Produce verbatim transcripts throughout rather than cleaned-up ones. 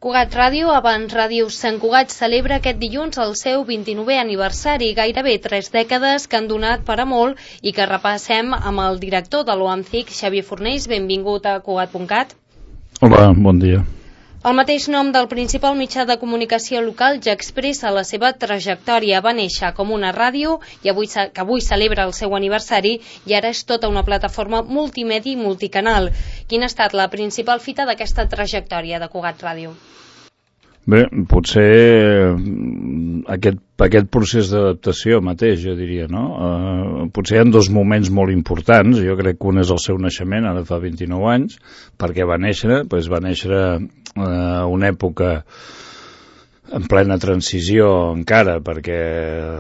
Cugat Ràdio, abans Ràdio Sant Cugat, celebra aquest dilluns el seu vint-i-novè aniversari, gairebé tres dècades que han donat per a molt i que repassem amb el director de l'O A M C I C, Xavier Fornells. Benvingut a Cugat punt cat. Hola, bon dia. El mateix nom del principal mitjà de comunicació local ja expressa la seva trajectòria. Va néixer com una ràdio i avui, que avui celebra el seu aniversari i ara és tota una plataforma multimèdia i multicanal. Quina ha estat la principal fita d'aquesta trajectòria de Cugat Ràdio? Bé, potser aquest, aquest procés d'adaptació mateix, jo diria, no? Uh, potser hi ha dos moments molt importants. Jo crec que un és el seu naixement, ara fa vint-i-nou anys. Per què va néixer? Pues va néixer uh, una època en plena transició encara, perquè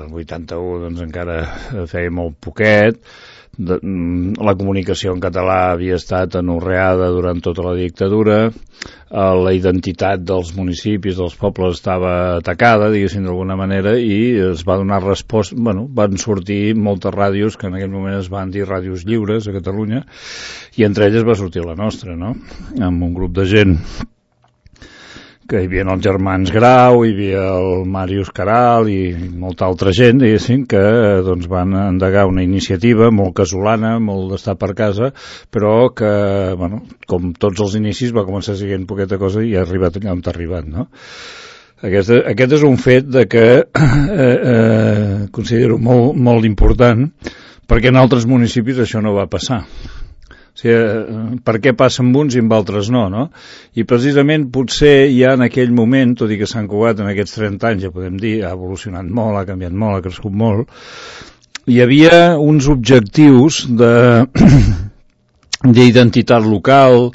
el vuitanta-u doncs, encara feia molt poquet. De, la comunicació en català havia estat anorreada durant tota la dictadura, la identitat dels municipis, dels pobles estava atacada, diguéssim, d'alguna manera, i es va donar resposta. Bueno, van sortir moltes ràdios que en aquell moment es van dir ràdios lliures a Catalunya, i entre elles va sortir la nostra, no? Amb un grup de gent que hi havia els germans Grau, hi havia el Màrius Caral i molta altra gent, diguéssim, que doncs, van endegar una iniciativa molt casolana, molt d'estar per casa, però que, bueno, com tots els inicis, va començar sent poqueta cosa i ha arribat allà on ha arribat, no? Aquest, aquest és un fet de que eh, eh, considero molt, molt important, perquè en altres municipis això no va passar. O sigui, per què passa amb uns i amb altres no, no? I precisament potser ja en aquell moment, tot i que Sant Cugat en aquests trenta anys, ja podem dir, ha evolucionat molt, ha canviat molt, ha crescut molt, hi havia uns objectius de d'identitat local,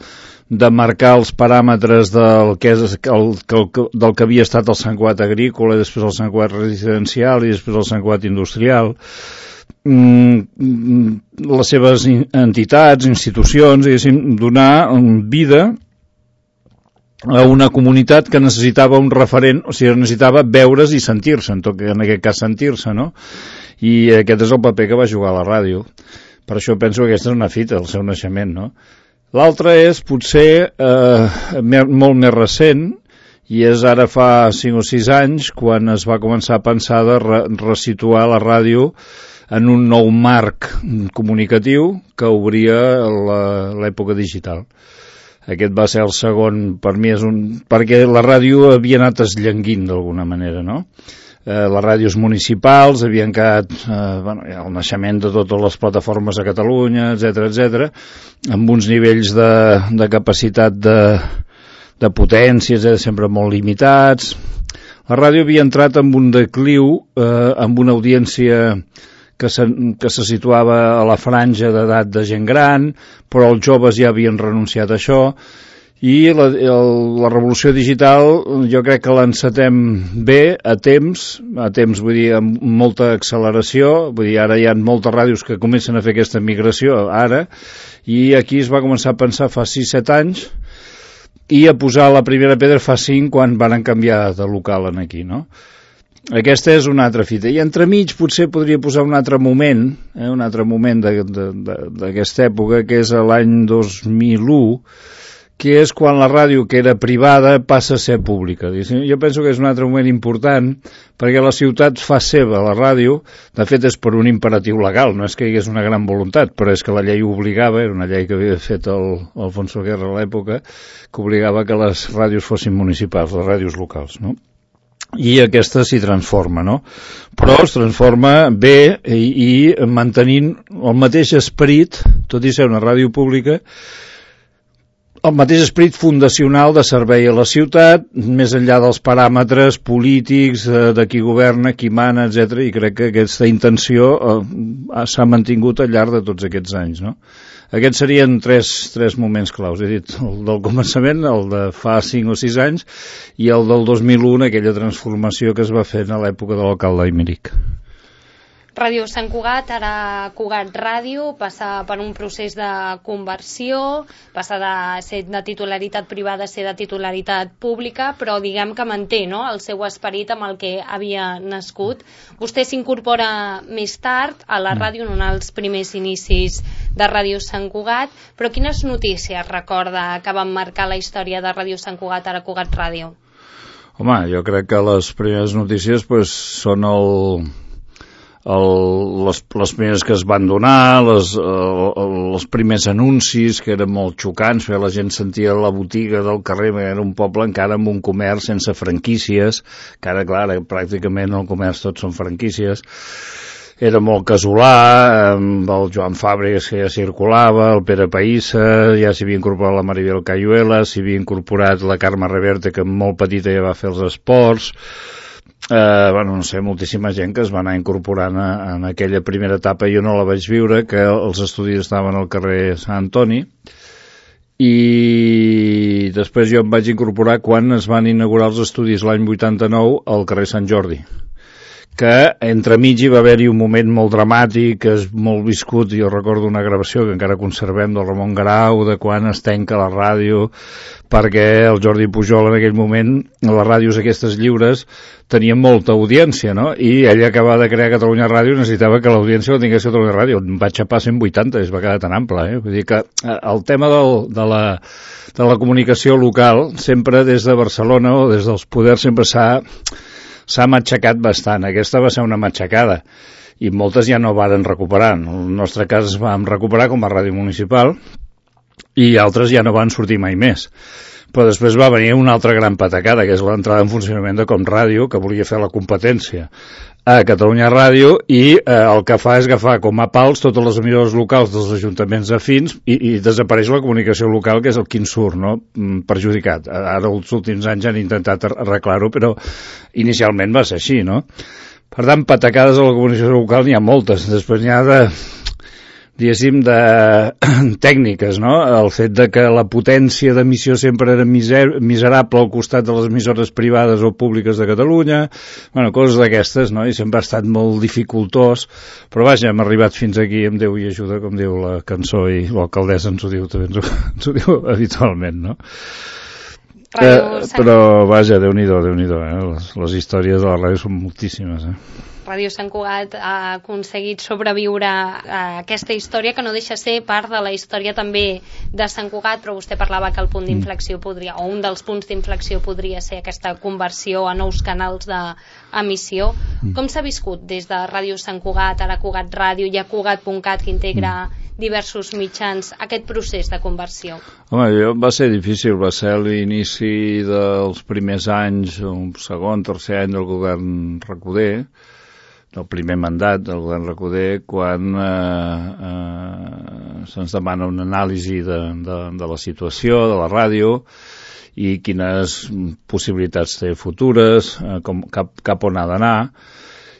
de marcar els paràmetres del que, és, el, del que havia estat el Sant Cugat agrícola, i després el Sant Cugat residencial i després el Sant Cugat industrial, les seves entitats, institucions, diguéssim, donar vida a una comunitat que necessitava un referent, o sigui, necessitava veure's i sentir-se, en, tot, en aquest cas sentir-se, no? I aquest és el paper que va jugar a la ràdio. Per això penso que aquesta és una fita, el seu naixement, no? L'altre és potser eh, molt més recent, i és ara fa cinc o sis anys quan es va començar a pensar de re resituar la ràdio en un nou marc comunicatiu que obria l'època digital. Aquest va ser el segon, per mi és un... perquè la ràdio havia anat esllenguint d'alguna manera, no? Eh, les ràdios municipals havien quedat, eh, bueno, el naixement de totes les plataformes a Catalunya, etcètera, etcètera, amb uns nivells de, de capacitat de, de potències eh, sempre molt limitats. La ràdio havia entrat en un decliu, eh, amb una audiència que se, que se situava a la franja d'edat de gent gran, però els joves ja havien renunciat a això, i la, el, la revolució digital jo crec que l'encetem bé, a temps, a temps vull dir, amb molta acceleració, vull dir, ara hi ha moltes ràdios que comencen a fer aquesta migració, ara, i aquí es va començar a pensar fa sis set anys, i a posar la primera pedra fa cinc quan van canviar de local en aquí, no? Aquesta és una altra fita. I entremig potser podria posar un altre moment, eh, un altre moment d'aquesta època, que és l'any dos mil u, que és quan la ràdio, que era privada, passa a ser pública. Jo penso que és un altre moment important, perquè la ciutat fa seva la ràdio, de fet és per un imperatiu legal, no és que hi hagués una gran voluntat, però és que la llei obligava, era una llei que havia fet el, el Alfonso Guerra a l'època, que obligava que les ràdios fossin municipals, les ràdios locals, no? I aquesta s'hi transforma, no? Però es transforma bé i, i mantenint el mateix esperit, tot i ser una ràdio pública, el mateix esperit fundacional de servei a la ciutat, més enllà dels paràmetres polítics, de qui governa, qui mana, etcètera, i crec que aquesta intenció eh, s'ha mantingut al llarg de tots aquests anys, no? Aquests serien tres, tres moments claus. He dit el del començament, el de fa cinc o sis anys, i el del dos mil u, aquella transformació que es va fer a l'època de l'alcalde Aymeric. Ràdio Sant Cugat, ara Cugat Ràdio, passa per un procés de conversió, passa de ser de titularitat privada a ser de titularitat pública, però diguem que manté, no?, el seu esperit amb el que havia nascut. Vostè s'incorpora més tard a la ràdio, en un dels primers inicis de Ràdio Sant Cugat, però quines notícies recorda que van marcar la història de Ràdio Sant Cugat, ara Cugat Ràdio? Home, jo crec que les primeres notícies pues, són el... El, les, les primeres que es van donar, les, el, els primers anuncis que eren molt xocants, la gent sentia la botiga del carrer, que era un poble encara amb un comerç sense franquícies, que ara, clar, pràcticament el comerç tots són franquícies. Era molt casolà, amb el Joan Fàbregas que ja circulava, el Pere Païssa, ja s'hi havia incorporat la Maribel Cayuela, s'hi havia incorporat la Carme Reverte, que molt petita ja va fer els esports. Uh, bueno, no sé, moltíssima gent que es va anar incorporant a, en aquella primera etapa. Jo no la vaig viure, que els estudis estaven al carrer Sant Antoni, i després jo em vaig incorporar quan es van inaugurar els estudis l'any vuitanta-nou al carrer Sant Jordi, que entremig hi va haver-hi un moment molt dramàtic, que és molt viscut. Jo recordo una gravació que encara conservem del Ramon Garau, de quan es tanca la ràdio, perquè el Jordi Pujol en aquell moment, les ràdios aquestes lliures, tenien molta audiència, no? I ell acabava de crear Catalunya Ràdio i necessitava que l'audiència la tingués Catalunya Ràdio. En va xapar cent vuitanta, es va quedar tan ample, eh? Vull dir que el tema del, de, la, de la comunicació local, sempre des de Barcelona o des dels poders, sempre s'ha s'ha matxacat bastant. Aquesta va ser una matxacada i moltes ja no varen recuperar. En el nostre cas vam recuperar com a ràdio municipal i altres ja no van sortir mai més. Però després va venir una altra gran patacada, que és l'entrada en funcionament de Com Ràdio, que volia fer la competència a Catalunya Ràdio, i eh, el que fa és agafar com a pals totes les emissores locals dels ajuntaments afins i, i desapareix la comunicació local, que és el quin surt, no? Perjudicat. Ara els últims anys han intentat arreglar-ho, però inicialment va ser així, no? Per tant, patacades a la comunicació local n'hi ha moltes. Després n'hi ha de... diguéssim, de tècniques, no? El fet de que la potència d'emissió sempre era miser, miserable al costat de les emissores privades o públiques de Catalunya, bueno, coses d'aquestes, no? I sempre ha estat molt dificultós, però vaja, hem arribat fins aquí, amb Déu i ajuda, com diu la cançó, i l'alcaldessa ens ho diu, també ens ho, ens ho diu habitualment, no? Eh, però vaja, Déu-n'hi-do, Déu-n'hi-do, eh? Les, les històries de la ràdio són moltíssimes, eh? Ràdio Sant Cugat ha aconseguit sobreviure a aquesta història, que no deixa ser part de la història també de Sant Cugat, però vostè parlava que el punt d'inflexió podria, o un dels punts d'inflexió podria ser aquesta conversió a nous canals d'emissió. Com s'ha viscut des de Ràdio Sant Cugat, ara Cugat Ràdio, i a Cugat punt cat, que integra diversos mitjans, aquest procés de conversió? Home, jo, va ser difícil, va ser l'inici dels primers anys, un segon, tercer any del govern Recoder, del primer mandat del govern Recoder, quan eh, eh, se'ns demana una anàlisi de, de, de la situació, de la ràdio, i quines possibilitats té futures, eh, com, cap, cap on ha d'anar.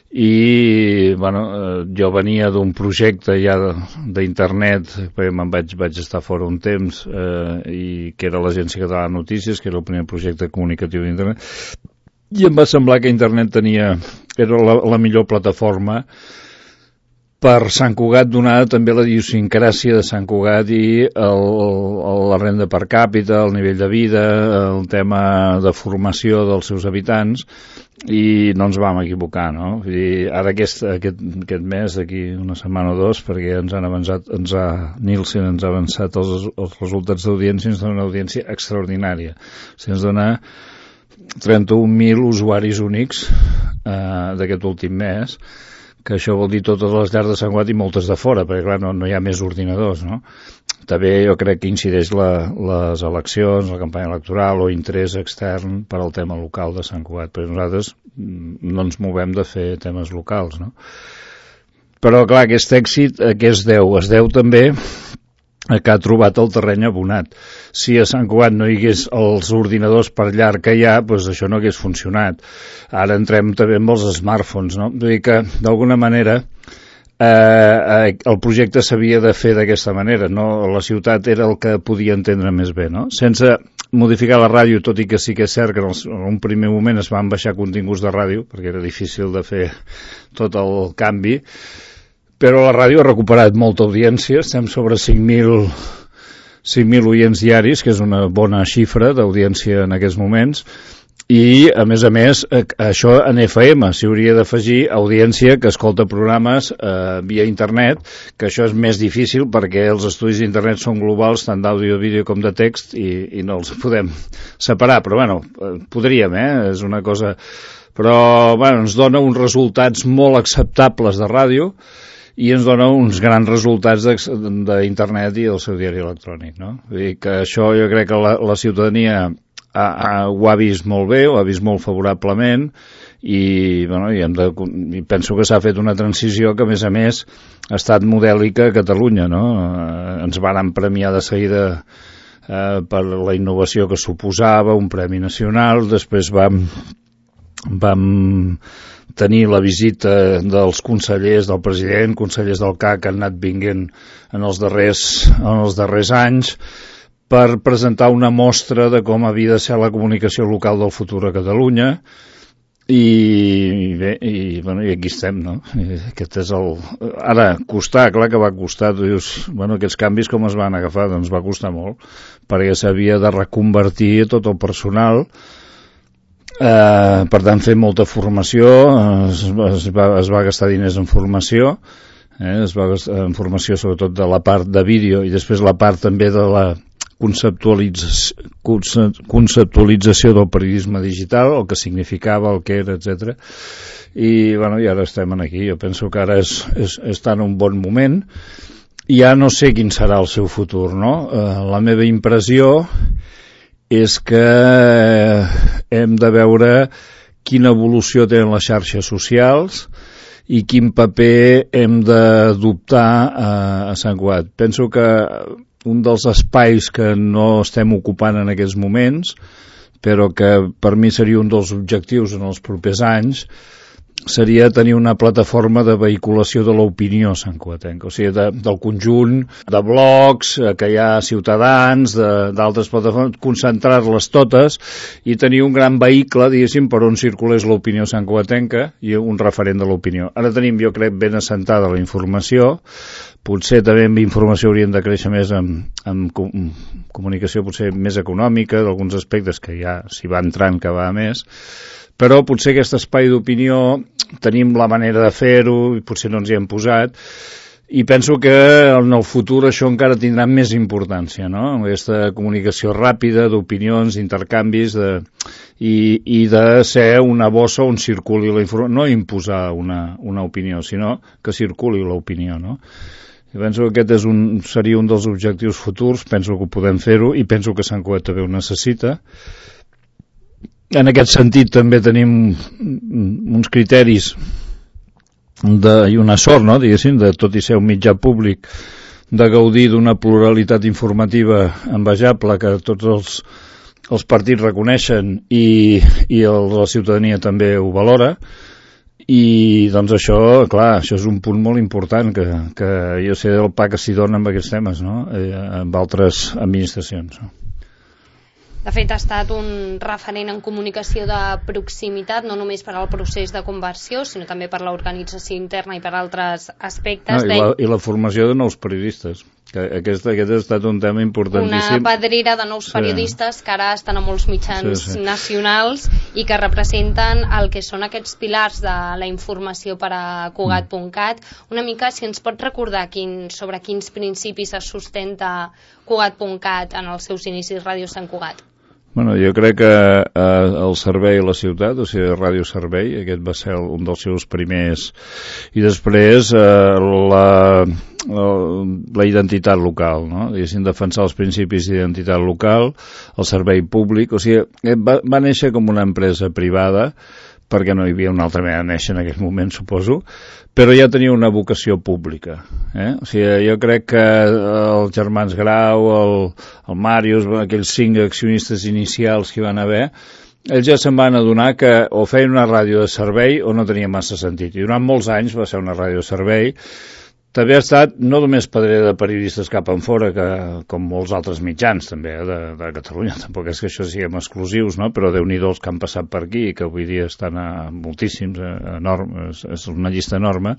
I bueno, eh, jo venia d'un projecte ja d'internet, perquè me'n vaig, vaig estar fora un temps, eh, i que era l'Agència Catalana de Notícies, que era el primer projecte comunicatiu d'internet, i em va semblar que internet tenia, era la, la millor plataforma per Sant Cugat, donada també la idiosincràsia de Sant Cugat i el, el, la renda per càpita, el nivell de vida, el tema de formació dels seus habitants, i no ens vam equivocar, no? Vull dir, ara aquest, aquest, aquest mes, d'aquí una setmana o dos, perquè ens han avançat, ens ha, Nielsen ens ha avançat els, els resultats d'audiència, ens dona una audiència extraordinària. O sigui, ens dona trenta-un mil usuaris únics eh, d'aquest últim mes, que això vol dir totes les llars de Sant Cugat i moltes de fora, perquè clar, no, no hi ha més ordinadors, no? També jo crec que incideix la, les eleccions, la campanya electoral o interès extern per al tema local de Sant Cugat, perquè nosaltres no ens movem de fer temes locals, no? Però clar, aquest èxit a què es deu? Es deu també que ha trobat el terreny abonat. Si a Sant Cugat no hi hagués els ordinadors per llar que hi ha, doncs això no hagués funcionat. Ara entrem també amb els smartphones, no? Vull dir que, d'alguna manera, eh, el projecte s'havia de fer d'aquesta manera, no? La ciutat era el que podia entendre més bé, no? Sense modificar la ràdio, tot i que sí que és cert que en un primer moment es van baixar continguts de ràdio, perquè era difícil de fer tot el canvi, però la ràdio ha recuperat molta audiència, estem sobre cinc mil oients diaris, que és una bona xifra d'audiència en aquests moments, i, a més a més, això en F M s'hi hauria d'afegir audiència que escolta programes eh, via internet, que això és més difícil perquè els estudis d'internet són globals, tant d'àudio, vídeo com de text, i, i no els podem separar, però bueno, podríem, eh? És una cosa... Però, bueno, ens dona uns resultats molt acceptables de ràdio i ens dona uns grans resultats d'internet i del seu diari electrònic, no? Vull dir que això jo crec que la, la ciutadania... Ha, ha, ho ha vist molt bé, ho ha vist molt favorablement i, bueno, i, hem de, i penso que s'ha fet una transició que a més a més ha estat modèlica a Catalunya, no? Eh, ens varen premiar de seguida eh, per la innovació que suposava, un premi nacional, després vam, vam tenir la visita dels consellers, del president, consellers del C A C que han anat vinguent en els darrers, en els darrers anys, per presentar una mostra de com havia de ser la comunicació local del futur a Catalunya i bé, i, bueno, i aquí estem, no? I aquest és el... Ara, costar, clar que va costar, tu dius, bueno, aquests canvis com es van agafar? Doncs va costar molt, perquè s'havia de reconvertir tot el personal, eh, per tant fer molta formació, es, es, va, es va gastar diners en formació, eh, es va gastar en formació sobretot de la part de vídeo i després la part també de la conceptualització, conceptualització del periodisme digital, el que significava, el que era, etcètera. I, bueno, i ara estem aquí. Jo penso que ara és, és, està en un bon moment. Ja no sé quin serà el seu futur, no? Eh, la meva impressió és que hem de veure quina evolució tenen les xarxes socials i quin paper hem d'adoptar a, a Sant Cugat. Penso que un dels espais que no estem ocupant en aquests moments, però que per mi seria un dels objectius en els propers anys, seria tenir una plataforma de vehiculació de l'opinió santcugatenca, o sigui, de, del conjunt de blogs que hi ha ciutadans, d'altres plataformes, concentrar-les totes i tenir un gran vehicle, diguéssim, per on circulés l'opinió santcugatenca i un referent de l'opinió. Ara tenim, jo crec, ben assentada la informació, potser també amb informació hauríem de créixer més amb, amb com, comunicació potser més econòmica, d'alguns aspectes que ja s'hi va entrant que va més, però potser aquest espai d'opinió tenim la manera de fer-ho i potser no ens hi hem posat i penso que en el futur això encara tindrà més importància, no? Aquesta comunicació ràpida d'opinions, intercanvis de, i, i de ser una bossa on circuli la informació, no imposar una, una opinió, sinó que circuli l'opinió, no? I penso que aquest és un, seria un dels objectius futurs, penso que ho podem fer-ho i penso que Sant Cugat també ho necessita. En aquest sentit també tenim uns criteris de, i una sort, no, diguéssim, de tot i ser un mitjà públic, de gaudir d'una pluralitat informativa envejable que tots els, els partits reconeixen i, i el, la ciutadania també ho valora. I doncs això, clar, això és un punt molt important que, que jo sé del pa que s'hi dona amb aquests temes, no? Eh, amb altres administracions, no? De fet, ha estat un referent en comunicació de proximitat, no només per al procés de conversió, sinó també per l'organització interna i per altres aspectes. No, i, la, I la formació de nous periodistes, que aquest, aquest ha estat un tema importantíssim. Una pedrera de nous periodistes sí. que ara estan a molts mitjans sí, sí. nacionals i que representen el que són aquests pilars de la informació per a Cugat punt cat. Una mica, si ens pot recordar quin, sobre quins principis es sustenta Cugat punt cat en els seus inicis Ràdio Sant Cugat. Bueno, jo crec que eh, el servei a la ciutat, o sigui, Ràdio Servei, aquest va ser un dels seus primers, i després eh, la, la, la identitat local, no? Diguéssim, defensar els principis d'identitat local, el servei públic, o sigui, va, va néixer com una empresa privada, perquè no hi havia una altra manera de néixer en aquell moment, suposo, però ja tenia una vocació pública. Eh? O sigui, jo crec que els germans Grau, el, el Màrius, aquells cinc accionistes inicials que hi van haver, ells ja se'n van adonar que o feien una ràdio de servei o no tenia massa sentit. I durant molts anys va ser una ràdio de servei. També ha estat no només pedrer de periodistes cap en fora, que, com molts altres mitjans també eh, de, de Catalunya. Tampoc és que això siguem exclusius, no? Però Déu-n'hi-do els que han passat per aquí i que avui dia estan a moltíssims, a, enorme, és, és una llista enorme,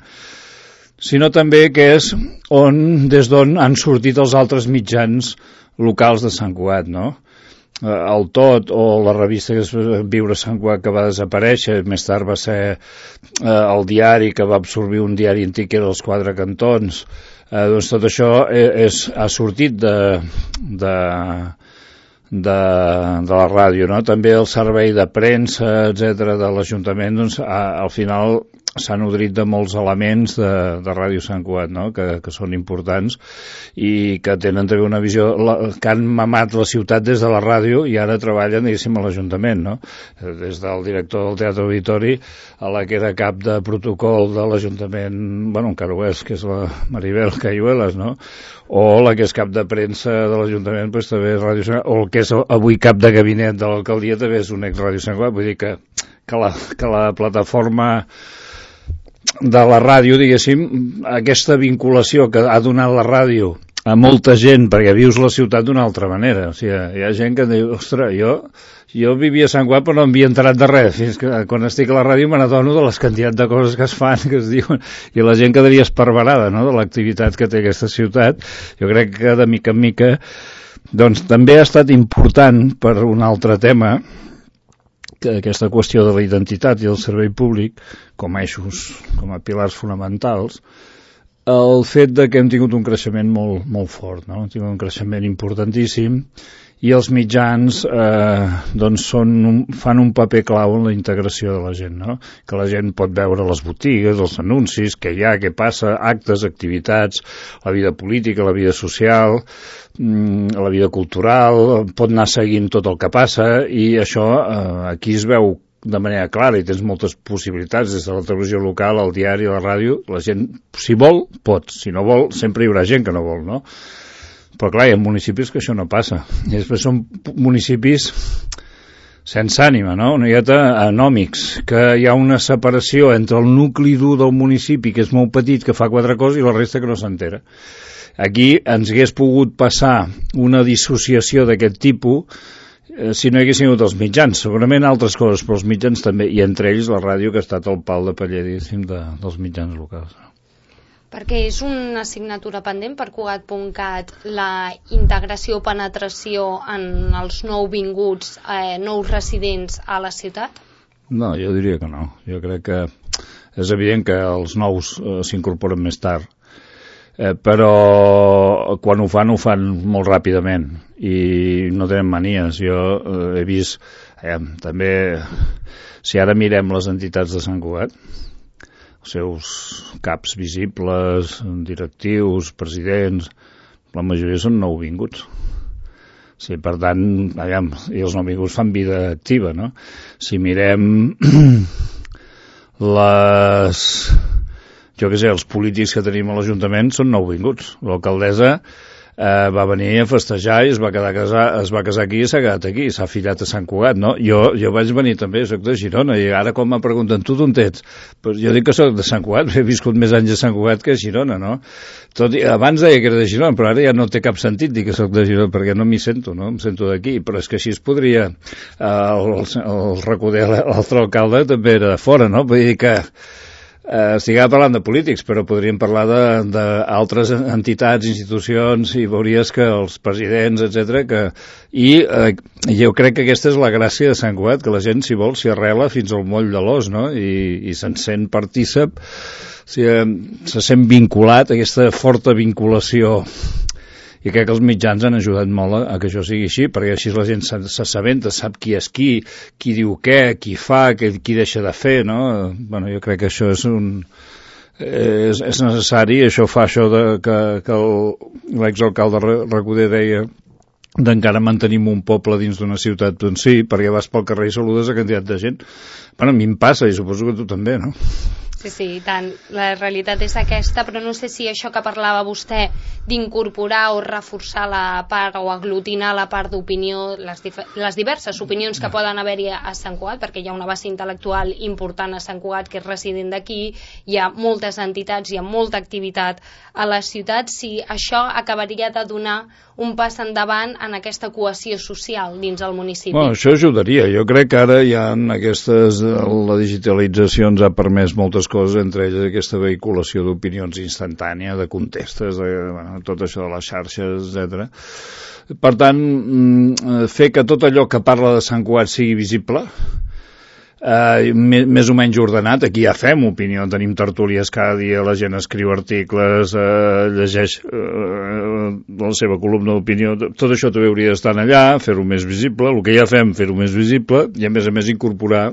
sinó també que és on, des d'on han sortit els altres mitjans locals de Sant Cugat, no? El Tot o la revista que és Viure Sant Cugat, que va desaparèixer, més tard va ser eh, el diari que va absorbir un diari antic que era els Quatre Cantons, eh, doncs tot això és, ha sortit de, de, de, de la ràdio, no? També el servei de premsa, etcètera de l'Ajuntament, doncs a, al final s'ha nodrit de molts elements de, de Ràdio Sant Cugat, no? que, que són importants i que tenen també una visió, la, que han mamat la ciutat des de la ràdio i ara treballen, diguéssim, a l'Ajuntament, no? Des del director del Teatre Auditori a la que era cap de protocol de l'Ajuntament, bueno, encara ho és, que és la Maribel Cayuelas, no? O la que és cap de premsa de l'Ajuntament, doncs també és Ràdio Sant Cugat, o el que és avui cap de gabinet de l'alcaldia també és un ex-Ràdio Sant Cugat, vull dir que, que, la, que la plataforma de la ràdio, diguéssim, aquesta vinculació que ha donat la ràdio a molta gent, perquè vius la ciutat d'una altra manera. O sigui, hi ha gent que diu, ostres, jo, jo vivia a Sant Cugat però no m'havia enterat de res, fins que quan estic a la ràdio me n'adono de les quantitats de coses que es fan, que es diuen, i la gent quedaria esparverada, no?, de l'activitat que té aquesta ciutat. Jo crec que de mica en mica doncs també ha estat important per un altre tema, que aquesta qüestió de la identitat i el servei públic com a eixos, com a pilars fonamentals, el fet de que hem tingut un creixement molt, molt fort, no? Hem tingut un creixement importantíssim i els mitjans eh, doncs són un, fan un paper clau en la integració de la gent, no? Que la gent pot veure les botigues, els anuncis, què hi ha, què passa, actes, activitats, la vida política, la vida social, la vida cultural, pot anar seguint tot el que passa i això eh, aquí es veu de manera clara i tens moltes possibilitats des de la televisió local, el diari, la ràdio. La gent, si vol, pot, si no vol, sempre hi haurà gent que no vol, no? Però clar, hi ha municipis que això no passa i després són municipis sense ànima, no? Una miqueta anòmics, que hi ha una separació entre el nucli dur del municipi, que és molt petit, que fa quatre coses, i la resta que no s'entera. Aquí ens hagués pogut passar una dissociació d'aquest tipus eh, si no hi haguessin hagut els mitjans, segurament altres coses, però els mitjans també, i entre ells la ràdio, que ha estat el pal de paller, diguéssim, de, dels mitjans locals. Perquè és una assignatura pendent per Cugat punt cat la integració o penetració en els nouvinguts, eh, nous residents a la ciutat? No, jo diria que no. Jo crec que és evident que els nous eh, s'incorporen més tard, eh, però quan ho fan, ho fan molt ràpidament i no tenen manies. Jo eh, he vist, eh, també, si ara mirem les entitats de Sant Cugat, els seus caps visibles, directius, presidents, la majoria són nouvinguts. Sí, per tant, aviam, i els nouvinguts fan vida activa, no? Si mirem les, jo què sé, els polítics que tenim a l'Ajuntament són nouvinguts. L'alcaldessa eh, va venir a festejar i es va quedar casar, es va casar aquí i s'ha quedat aquí, s'ha fillat a Sant Cugat, no? Jo, jo vaig venir també, soc de Girona, i ara quan me pregunten, tu d'on ets? Pues jo dic que soc de Sant Cugat, he viscut més anys a Sant Cugat que a Girona, no? Tot i, abans deia que era de Girona, però ara ja no té cap sentit dir que soc de Girona, perquè no m'hi sento, no? Em sento d'aquí, però és que així es podria, eh, el, el Recoder, l'altre alcalde, també era de fora, no? Vull dir que Eh, estiguem parlant de polítics, però podríem parlar d'altres entitats, institucions, i veuries que els presidents, etcètera, que... I eh, jo crec que aquesta és la gràcia de Sant Cugat, que la gent, si vol, s'hi arrela fins al moll de l'os, no? I, i se'n sent partícip, si, eh, se sent vinculat, aquesta forta vinculació. I crec que els mitjans han ajudat molt a, a que això sigui així, perquè així la gent s'assabenta, sap qui és qui, qui diu què, qui fa, qui, qui deixa de fer, no? Bueno, jo crec que això és un... és, és necessari, això fa això de, que, que l'exalcalde Recoder deia d'encara mantenim un poble dins d'una ciutat, doncs sí, perquè vas pel carrer i saludes a quantitat de gent. Bueno, a mi em passa, i suposo que tu també, no? Sí, sí, i tant. La realitat és aquesta, però no sé si això que parlava vostè d'incorporar o reforçar la part o aglutinar la part d'opinió, les, les diverses opinions que poden haver-hi a Sant Cugat, perquè hi ha una base intel·lectual important a Sant Cugat que és resident d'aquí, hi ha moltes entitats, hi ha molta activitat a la ciutat, si això acabaria de donar un pas endavant en aquesta cohesió social dins el municipi. Bueno, això ajudaria. Jo crec que ara hi ha aquestes... La digitalització ens ha permès moltes coses, entre elles aquesta vehiculació d'opinions instantània, de contestes, de, bueno, tot això de les xarxes, etcètera. Per tant, fer que tot allò que parla de Sant Cugat sigui visible, eh, més, més o menys ordenat. Aquí ja fem opinió, tenim tertúlies cada dia, la gent escriu articles, eh, llegeix eh, la seva columna d'opinió, tot això també hauria d'estar allà, fer-ho més visible, el que ja fem, fer-ho més visible, i a més a més incorporar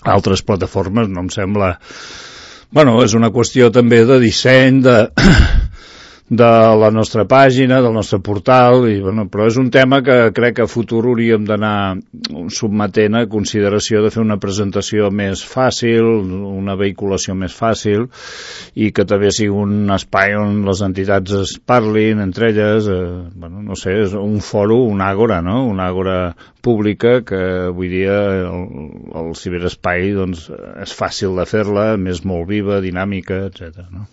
altres plataformes, no em sembla... Bueno, és una qüestió també de disseny, de... de la nostra pàgina, del nostre portal, i, bueno, però és un tema que crec que a futur hauríem d'anar submetent a consideració de fer una presentació més fàcil, una vehiculació més fàcil, i que també sigui un espai on les entitats es parlin entre elles, eh, bueno, no sé, és un fòrum, una àgora, no? Una àgora pública que avui dia el, el ciberespai doncs, és fàcil de fer-la, més molt viva, dinàmica, etcètera, no?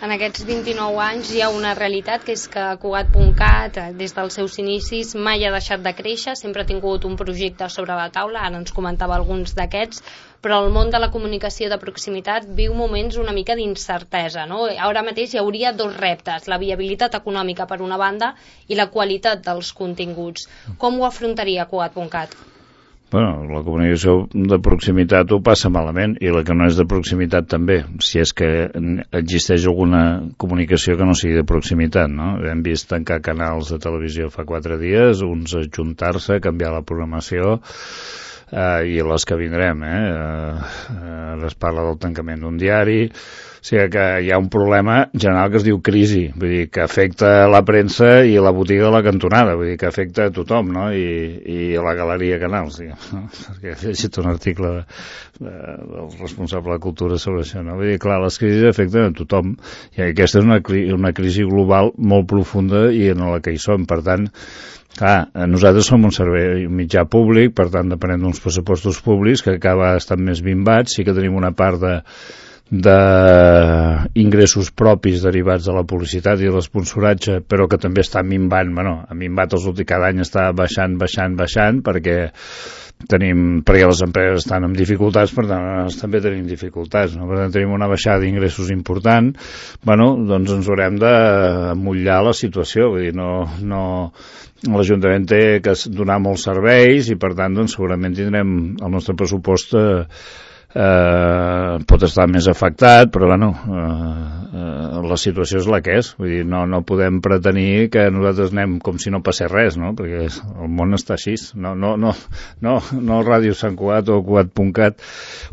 En aquests vint-i-nou anys hi ha una realitat que és que Cugat punt cat, des dels seus inicis, mai ha deixat de créixer, sempre ha tingut un projecte sobre la taula, ara ens comentava alguns d'aquests, però el món de la comunicació de proximitat viu moments una mica d'incertesa, no? Ara mateix hi hauria dos reptes, la viabilitat econòmica per una banda i la qualitat dels continguts. Com ho afrontaria Cugat punt cat? Bueno, la comunicació de proximitat ho passa malament, i la que no és de proximitat també, si és que existeix alguna comunicació que no sigui de proximitat, no? Hem vist tancar canals de televisió fa quatre dies, uns ajuntar-se, canviar la programació, eh, i les que vindrem, eh? Eh, es parla del tancament d'un diari, o sigui que hi ha un problema general que es diu crisi, vull dir, que afecta la premsa i la botiga de la cantonada, vull dir, que afecta a tothom, no? I, i la galeria Canals, diguem, no? Perquè he llegit un article de, de, del responsable de cultura sobre això, no? Vull dir, clar, les crisis afecten a tothom, i aquesta és una, una crisi global molt profunda i en la que hi som, per tant, clar, nosaltres som un servei, un mitjà públic, per tant, depenem d'uns pressupostos públics que acaba estant més bimbats, sí que tenim una part de d'ingressos propis derivats de la publicitat i de l'esponsoratge, però que també està minvant, bueno, ha minvat els últims, cada any està baixant, baixant, baixant, perquè tenim, perquè les empreses estan amb dificultats, per tant, nosaltres també tenim dificultats, no? Per tant, tenim una baixada d'ingressos important, bueno, doncs ens haurem d'amollar la situació, vull dir, no... no l'Ajuntament té que donar molts serveis i, per tant, doncs, segurament tindrem el nostre pressupost eh, eh, pot estar més afectat, però bueno, eh, eh, la situació és la que és, vull dir, no, no podem pretenir que nosaltres anem com si no passés res, no? Perquè el món està així, no, no, no, no, no Ràdio Sant Cugat o Cugat punt cat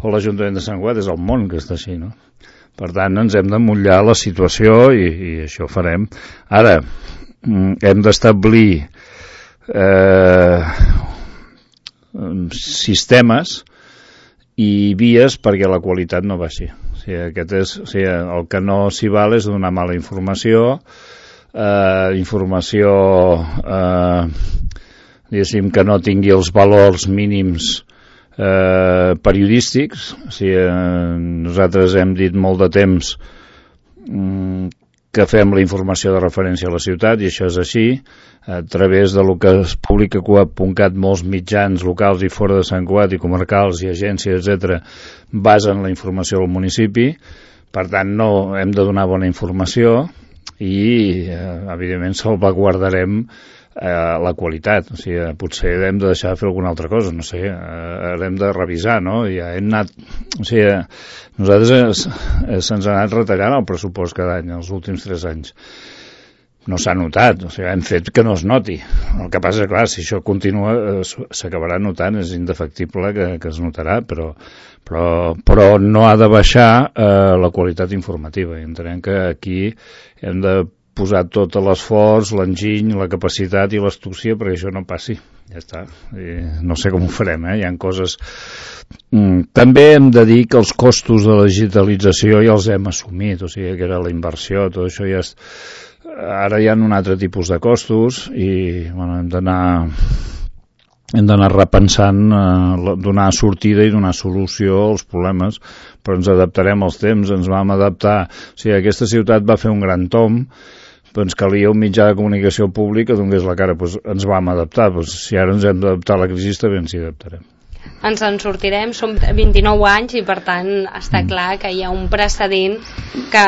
o l'Ajuntament de Sant Cugat, és el món que està així, no? Per tant, ens hem d'emmotllar la situació i, i això farem. Ara, hem d'establir eh, sistemes i vies perquè la qualitat no baixi. O sigui, aquest és, o sigui, el que no s'hi val és donar mala informació, eh, informació eh, diguéssim que no tingui els valors mínims eh, periodístics. O sigui, eh, nosaltres hem dit molt de temps mm, que fem la informació de referència a la ciutat, i això és així, a través de lo que es publica a Cugat punt cat, molts mitjans locals i fora de Sant Cugat i comarcals i agències, etcètera, basen la informació del municipi, per tant no hem de donar bona informació i eh, evidentment salvaguardarem eh, la qualitat, o sigui, potser hem de deixar de fer alguna altra cosa, no sé, eh, hem de revisar, no? Ja hem anat, o sigui, nosaltres se'ns ha anat retallant el pressupost cada any, els últims tres anys. No s'ha notat, o sigui, hem fet que no es noti. El que passa és, clar, si això continua, s'acabarà notant, és indefectible que, que es notarà, però, però, però no ha de baixar eh, la qualitat informativa. I entenem que aquí hem de posar tot l'esforç, l'enginy, la capacitat i l'astúcia perquè això no passi. Ja està. I no sé com ho farem, eh? Hi ha coses... Mm, també hem de dir que els costos de la digitalització ja els hem assumit, o sigui, que era la inversió, tot això ja és... Ara hi ha un altre tipus de costos i, bueno, hem d'anar... hem d'anar repensant, eh, donar sortida i donar solució als problemes, però ens adaptarem als temps, ens vam adaptar. O sigui, aquesta ciutat va fer un gran tomb, però ens calia un mitjà de comunicació públic que donés la cara, doncs ens vam adaptar, doncs si ara ens hem d'adaptar a la crisi també ens hi adaptarem. Ens en sortirem, som vint-i-nou anys i per tant està clar que hi ha un precedent que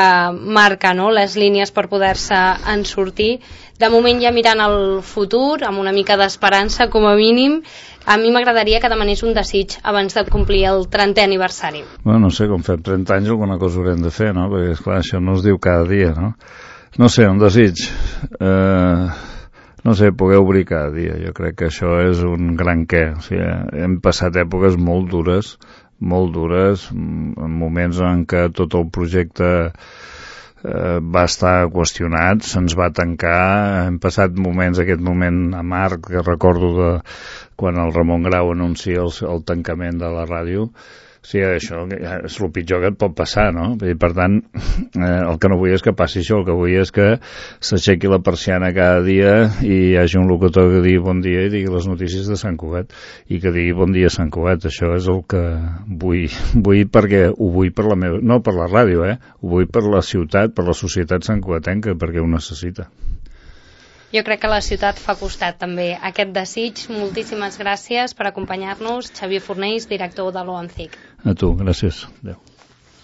marca, no?, les línies per poder-se en sortir. De moment ja mirant el futur, amb una mica d'esperança com a mínim, a mi m'agradaria que demanés un desig abans de complir el trentè aniversari. Bueno, no sé, com fem trenta anys alguna cosa haurem de fer, no?, perquè esclar, això no es diu cada dia, no? No sé, un desig, eh, no sé, poder obrir cada dia, jo crec que això és un gran què, o sigui, hem passat èpoques molt dures, molt dures, en moments en què tot el projecte eh, va estar qüestionat, se'ns va tancar, hem passat moments, aquest moment amarg que recordo de quan el Ramon Grau anuncia el, el tancament de la ràdio. Sí, això és el pitjor que et pot passar, no? I per tant, eh, el que no vull és que passi això, el que vull és que s'aixequi la persiana cada dia i hi hagi un locutor que digui bon dia i digui les notícies de Sant Cugat i que digui bon dia Sant Cugat. Això és el que vull, vull perquè ho vull per la meva, no per la ràdio, eh? Ho vull per la ciutat, per la societat santcugatenca, perquè ho necessita. Jo crec que la ciutat fa costat també aquest desig. Moltíssimes gràcies per acompanyar-nos, Xavier Fornells, director de l'O A N C I C. A tu, gràcies. Adéu.